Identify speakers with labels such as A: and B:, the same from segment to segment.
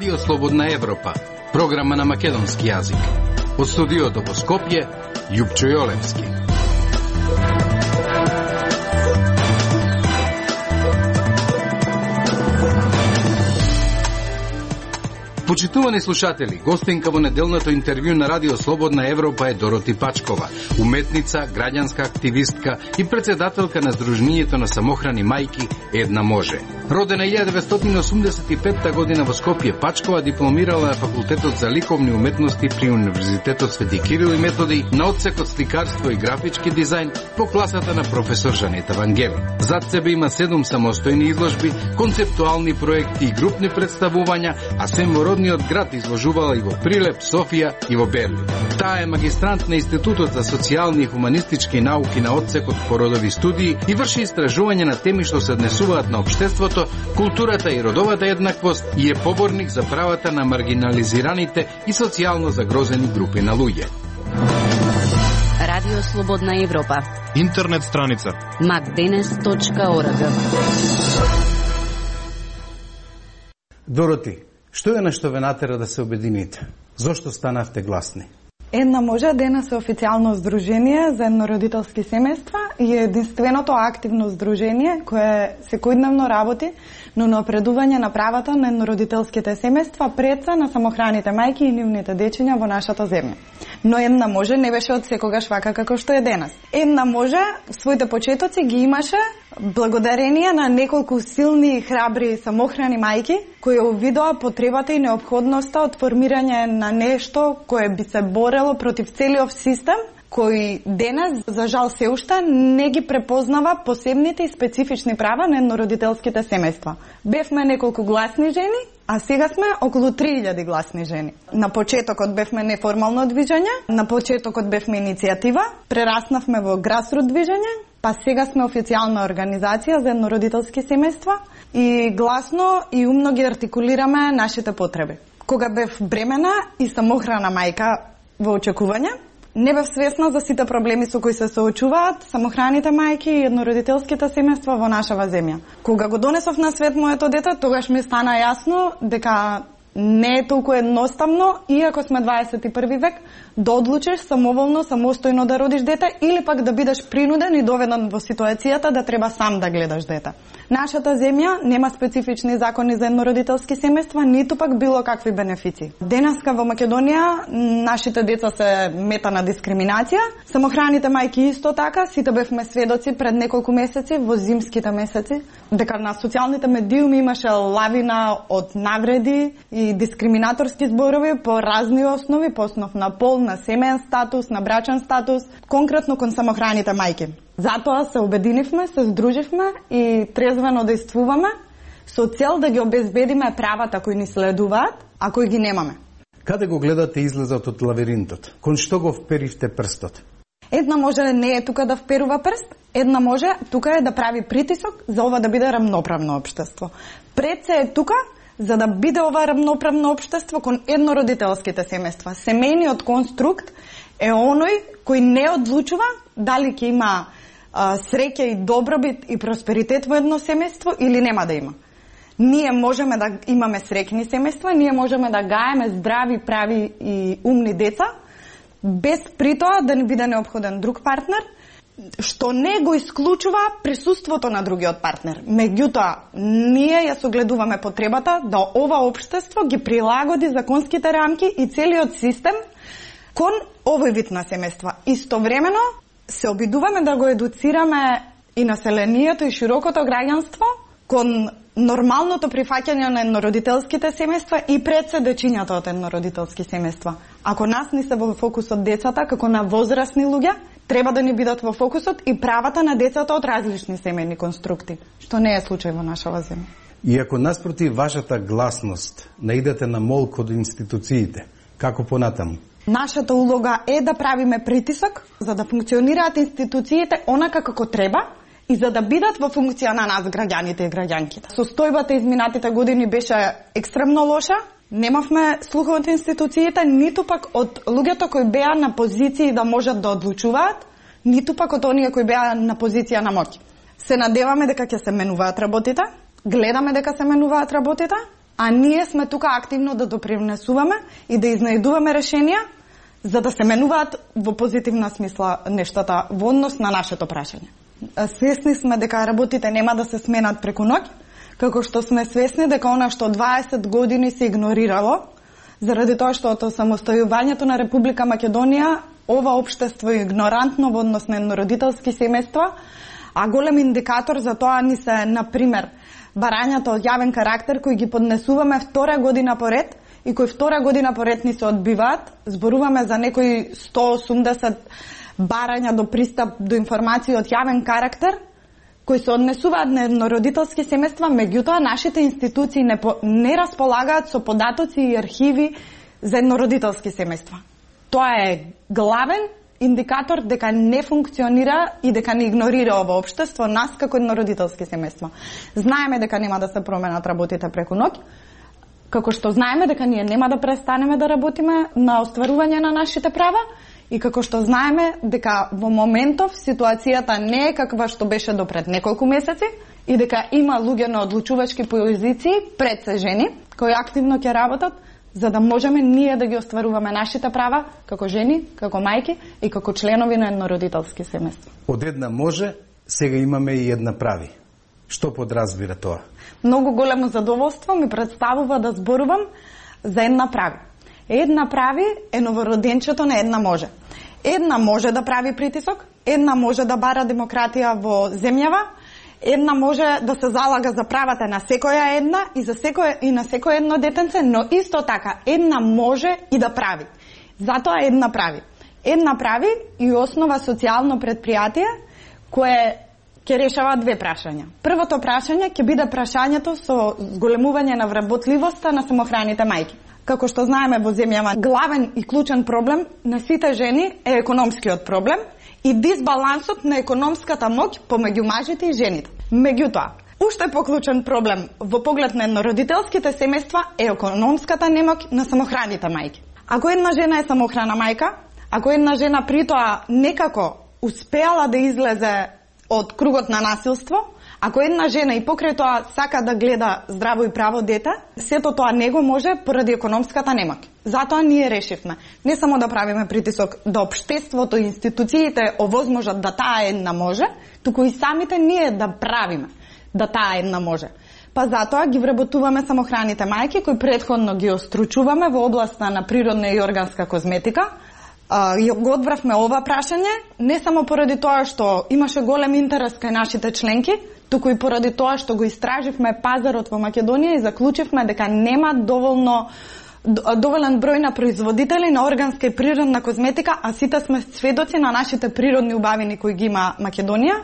A: Радио Слободна Европа, програма на македонски јазик. Од студиото во Скопје, Јупчо Јолевски. Почитувани слушатели, гостинка во неделното интервју на Радио Слободна Европа е Дороти Пачкова, уметница, граѓанска активистка и председателка на Сдруженијето на самохрани мајки Една може. Родена 1985 година во Скопје, Пачкова дипломирала на Факултетот за ликовни уметности при Универзитетот Свети Кирил и Методи на одсекот сликарство и графички дизајн по класата на професор Жанета Вангели. Зад себе има 7 самостојни изложби, концептуални проекти и групни представувања, а сем во родниот град изложувала и во Прилеп, Софија и во Берлин. Таа е магистрант на Институтот за социјални и хуманистички науки на одсекот по родови студии и врши истражување на теми што се однесуваат на општеството, културата и родовата еднаквост и е поборник за правата на маргинализираните и социјално загрозени групи на луѓе.
B: Радио Слободна Европа.
C: Интернет страница
B: macdenes.org.
D: Дороти, што е нешто ве натера да се обедините? Зошто станавте гласни?
E: Една може денес е официјално здружение за еднородителски семејства и е единственото активно здружение кое секојдневно работи на напредување на правата на еднородителските семејства пред се на самохраните мајки и нивните дечиња во нашата земја. Но Една може не беше од секогаш вака како што е денес. Една може своите почетоци ги имаше благодарение на неколку силни и храбри самохрани мајки кои увидоа потребата и неопходноста од формирање на нешто кое би се борело против целиот систем кој денес, за жал се уште, не ги препознава посебните и специфични права на еднородителските семејства. Бевме неколку гласни жени, а сега сме околу 3000 гласни жени. На почетокот бевме неформално движење, на почетокот бевме иницијатива, прераснавме во грасрут движење, па сега сме официјална организација за еднородителски семејства и гласно и умно ги артикулираме нашите потреби. Кога бев бремена и самохрана мајка во очекување, не бев свесна за сите проблеми со кои се соочуваат самохраните мајки и еднородителските семејства во нашава земја. Кога го донесов на свет моето дете, тогаш ми стана јасно дека не е толку едноставно, иако сме 21 век, да одлучиш самоволно, самостојно да родиш дете или пак да бидеш принуден и доведен во ситуацијата да треба сам да гледаш дете. Нашата земја нема специфични закони за еднородителски семејства, ниту пак било какви бенефици. Денеска во Македонија нашите деца се мета на дискриминација, самохраните мајки исто така, сите бевме сведоци пред неколку месеци во зимските месеци, дека на социјалните медиуми имаше лавина од навреди и дискриминаторски зборови по разни основи, по основ на пол, на семеен статус, на брачен статус, конкретно кон самохраните мајки. Затоа се обединивме, се здруживме и трезвено действуваме со цел да ги обезбедиме правата кои ни следуваат, а кои ги немаме.
D: Каде го гледате излезот од лавиринтот? Кон што го вперивте прстот?
E: Една може не е тука да вперува прст, една може тука е да прави притисок за ова да биде рамноправно општество. Пред се е тука за да биде ова рамноправно општество кон еднородителските семејства. Семејниот конструкт е оној кој не одлучува дали ќе има среќа и добробит и просперитет во едно семејство или нема да има. Ние можеме да имаме среќни семејства, ние можеме да гаеме здрави, прави и умни деца, без притоа да ни биде неопходен друг партнер, што не го исклучува присуството на другиот партнер. Меѓутоа, ние ја согледуваме потребата да ова општество ги прилагоди законските рамки и целиот систем кон овој вид на семејства. Истовремено се обидуваме да го едуцираме и населението и широкото граѓанство кон нормалното прифаќање на еднородителските семејства и пред се дечињата од еднородителски семејства. Ако нас ни се во фокусот децата, како на возрастни луѓе, треба да ни бидат во фокусот и правата на децата од различни семејни конструкти, што не е случај во нашава земја.
D: И ако наспроти вашата гласност наидете на молк од институциите, како понатаму?
E: Нашата улога е да правиме притисок за да функционираат институциите онака како треба и за да бидат во функција на нас граѓаните и граѓанките. Состојбата изминатите години беше екстремно лоша. Немавме слух од институциите, ниту пак од луѓето кои беа на позиции да можат да одлучуваат, ниту пак од оние кои беа на позиција на моќ. Се надеваме дека ќе се менуваат работите, гледаме дека се менуваат работите, а ние сме тука активно да допринесуваме и да изнајдуваме решенија за да се менуваат во позитивна смисла нештата во однос на нашето прашање. Свесни сме дека работите нема да се сменат преку ноќ, како што сме свесни дека она што 20 години се игнорирало, заради тоа што од самостојувањето на Република Македонија ова општество е игнорантно во однос на еднородителски семејства, а голем индикатор за тоа ни се, например, барањата од јавен карактер кои ги поднесуваме втора година поред и кои втора година поред ни се одбиваат. Зборуваме за некои 180 барања до пристап до информации од јавен карактер кои се однесуваат на еднородителски семејства, меѓутоа нашите институции не располагаат со податоци и архиви за еднородителски семејства. Тоа е главен индикатор дека не функционира и дека не игнорира ова општество нас како еднородителски семејства. Знаеме дека нема да се променат работите преку ноќ, како што знаеме дека ние нема да престанеме да работиме на остварување на нашите права и како што знаеме дека во моментов ситуацијата не е каква што беше до пред неколку месеци и дека има луѓе на одлучувачки позиции, пред се жени, кои активно ќе работат за да можеме ние да ги остваруваме нашите права како жени, како мајки и како членови на еднородителски семејства.
D: Од една може, сега имаме и една прави. Што подразбира тоа?
E: Многу големо задоволство ми представува да зборувам за една прави. Една прави е новороденчето на една може. Една може да прави притисок, една може да бара демократија во земјава, една може да се залага за правата на секоја една и на секој едно детенце, но исто така една може и да прави. Затоа една прави. Една прави и основа социјално предпријатие кое ќе решава две прашања. Првото прашање ќе биде прашањето со зголемување на вработливоста на самохраните мајки. Како што знаеме во земјава, главен и клучен проблем на сите жени е економскиот проблем и дисбалансот на економската моќ помеѓу мажите и жените. Меѓутоа, уште поклучен проблем во поглед на еднородителските семејства е економската немоќ на самохраните мајки. Ако една жена е самохрана мајка, ако една жена притоа некако успеала да излезе од кругот на насилство, ако една жена и покрај тоа сака да гледа здраво и право дете, сето тоа не го може поради економската немоќ. Затоа ние решивме не само да правиме притисок да општеството и институциите овозможат да таа една може, туку и самите ние да правиме да таа една може. Па затоа ги вработуваме самохраните мајки кои претходно ги остручуваме во областа на природна и органска козметика. Го одвравме ова прашање не само поради тоа што имаше голем интерес кај нашите членки, туку и поради тоа што го истраживме пазарот во Македонија и заклучивме дека нема доволен број на производители на органска и природна козметика, а сите сме сведоци на нашите природни убавини кои ги има Македонија.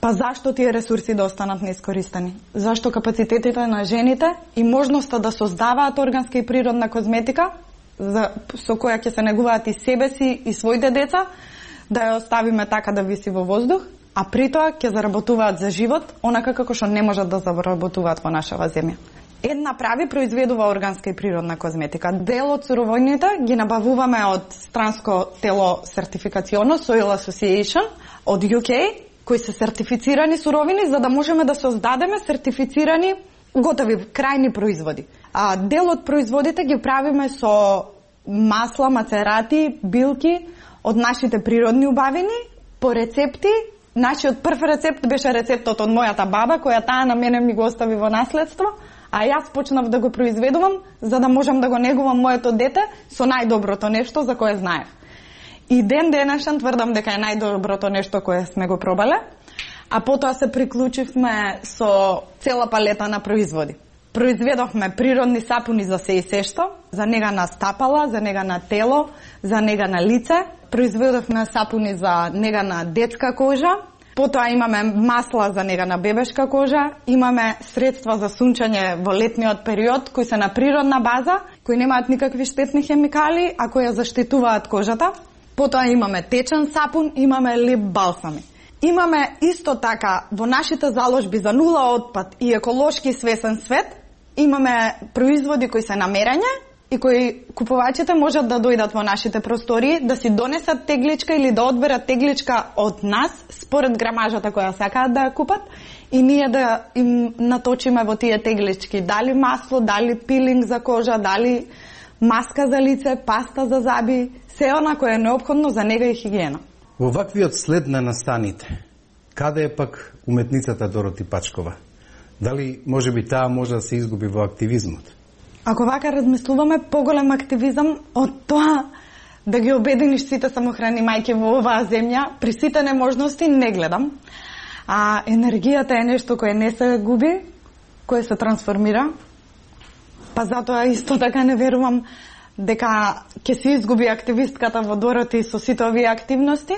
E: Па зашто тие ресурси да останат неискористени? Зашто капацитетите на жените и можноста да создаваат органска и природна козметика со која ќе се негуваат и себе си и своите деца, да ја оставиме така да виси во воздух, а притоа ќе заработуваат за живот, онака како што не можат да заработуваат во нашава земја. Една прави произведува органска и природна козметика. Дел од суровините ги набавуваме од странско тело сертификационо, Soil Association, од UK, кои се сертифицирани суровини, за да можеме да создадеме сертифицирани готови крајни производи. А дел од производите ги правиме со масла, мацерати, билки од нашите природни убавини по рецепти. Нашиот прв рецепт беше рецептот од мојата баба, која таа на мене ми го остави во наследство, а јас почнав да го произведувам за да можам да го негувам моето дете со најдоброто нешто за кое знаев. И ден денешен тврдам дека е најдоброто нешто кое сме го пробале, а потоа се приклучивме со цела палета на производи. Произведовме природни сапуни за се и сешто, за нега на стапала, за нега на тело, за нега на лице. Произведовме сапуни за нега на детска кожа. Потоа имаме масла за нега на бебешка кожа. Имаме средства за сунчање во летниот период, кои се на природна база, кои немаат никакви штетни хемикали, а кои ја заштитуваат кожата. Потоа имаме течен сапун, имаме лип балсами. Имаме исто така во нашите заложби за нула отпад и еколошки свесен свет, имаме производи кои се намерење и кои купувачите можат да дојдат во нашите простории, да си донесат тегличка или да одберат тегличка од нас, според грамажата која сакаат да ја купат, и ние да им наточиме во тие теглички дали масло, дали пилинг за кожа, дали маска за лице, паста за заби, се она кое е неопходно за нега и хигиена.
D: Во ваквиот след на настаните, каде е пак уметницата Дороти Пачкова? Дали можеби таа може да се изгуби во активизмот?
E: Ако вака размислуваме, поголем активизам од тоа да ги обединиш сите самохрани мајки во оваа земја, при сите неможности не гледам. А енергијата е нешто кое не се губи, кое се трансформира. Па затоа исто така не верувам дека ќе се изгуби активистката во Дороти со сите овие активности.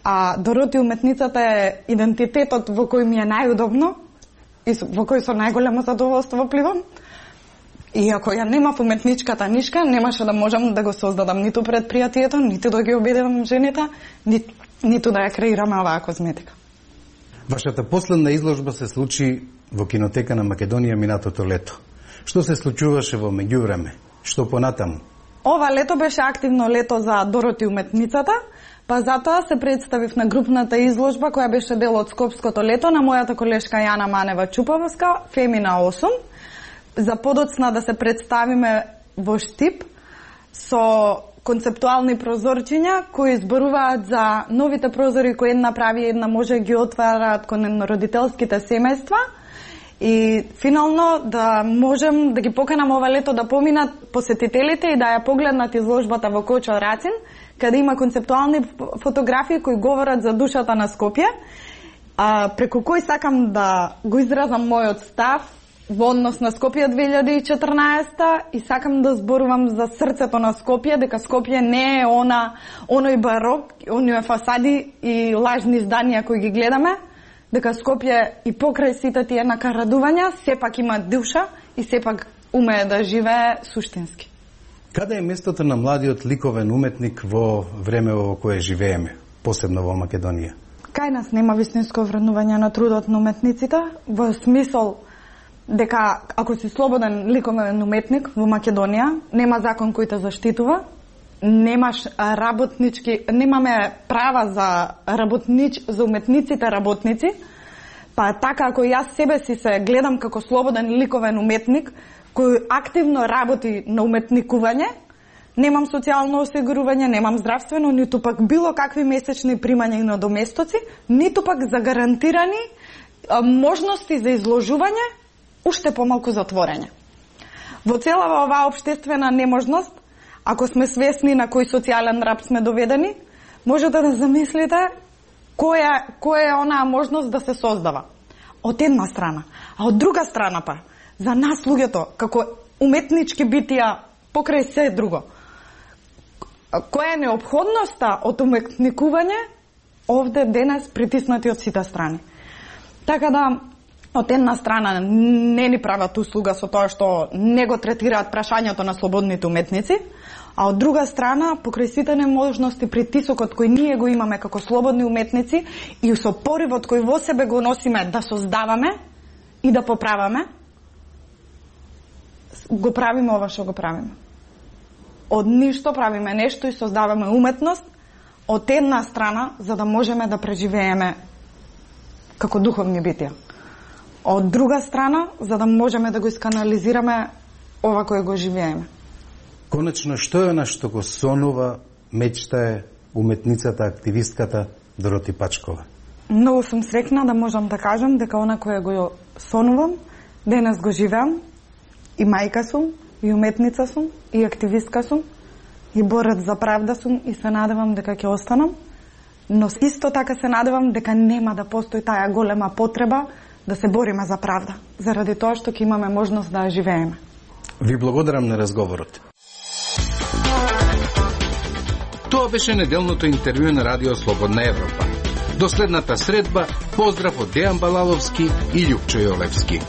E: А Дороти уметницата е идентитетот во кој ми е најудобно и во кој со најголемо задоволство пливам. И ако ја немав уметничката нишка, немаше да можам да го создадам ниту предпријатието, ниту да ги обединам жените, ниту да ја креираме оваа козметика.
D: Вашата последна изложба се случи во Кинотека на Македонија минатото лето. Што се случуваше во меѓувреме? Што понатаму?
E: Ова лето беше активно лето за Дороти уметницата, па затоа се представив на групната изложба која беше дел од Скопското лето на мојата колешка Јана Манева Чуповска, Фемина 8, за подоцна да се представиме во Штип со концептуални прозорчиња кои зборуваат за новите прозори кои една прави и една може ги отвараат кон родителските семејства и финално да можем да ги поканам ова лето да поминат посетителите и да ја погледнат изложбата во Кочо Рацин, каде има концептуални фотографии кои говорат за душата на Скопје, преку кој сакам да го изразам мојот став во однос на Скопје 2014 и сакам да зборувам за срцето на Скопје, дека Скопје не е оној барок, оние фасади и лажни зданија кои ги гледаме, дека Скопје и покрај сите тие накарадувања сепак има душа и сепак умее да живее суштински.
D: Каде е местото на младиот ликовен уметник во време во кое живееме, посебно во Македонија?
E: Кај нас нема вистинско вреднување на трудот на уметниците, во смисол дека ако си слободен ликовен уметник во Македонија, нема закон кој те заштитува, немаш работнички, немаме права за уметниците работници, па така ако јас себе си се гледам како слободен ликовен уметник кој активно работи на уметникување, немам социјално осигурување, немам здравствено, ниту пак било какви месечни примања и надоместоци, ниту пак загарантирани можности за изложување, уште помалку затворење. Во целава оваа општествена неможност, ако сме свесни на кој социјален раб сме доведени, можете да замислите која е онаа можност да се создава. Од една страна. А од друга страна па, за нас луѓето, како уметнички битија, покрај се друго, која е неопходноста од уметникување овде денес притиснати од сите страни. Така да, од една страна не ни прават услуга со тоа што не го третираат прашањето на слободните уметници, а од друга страна, покрај сите неможности, притисокот кој ние го имаме како слободни уметници и со поривот кој во себе го носиме да создаваме и да поправаме, го правиме ова што го правиме. Од ништо правиме нешто и создаваме уметност, од една страна, за да можеме да преживееме како духовни битија. Од друга страна, за да можеме да го исканализираме ова кое го живееме.
D: Конечно, што е она што го сонува, мечтае уметницата, активистката Дороти Пачкова?
E: Многу сум среќна да можам да кажам дека она кое го сонувам, денес го живеам, и мајка сум, и уметница сум, и активистка сум, и борец за правда сум и се надевам дека ќе останам, но исто така се надевам дека нема да постои таа голема потреба да се бориме за правда, заради тоа што ќе имаме можност да ја живееме.
D: Ви благодарам на разговорот.
A: Тоа беше неделното интервју на Радио Слободна Европа. До следната средба, поздрав од Дејан Балаловски и Љупчо Јолевски.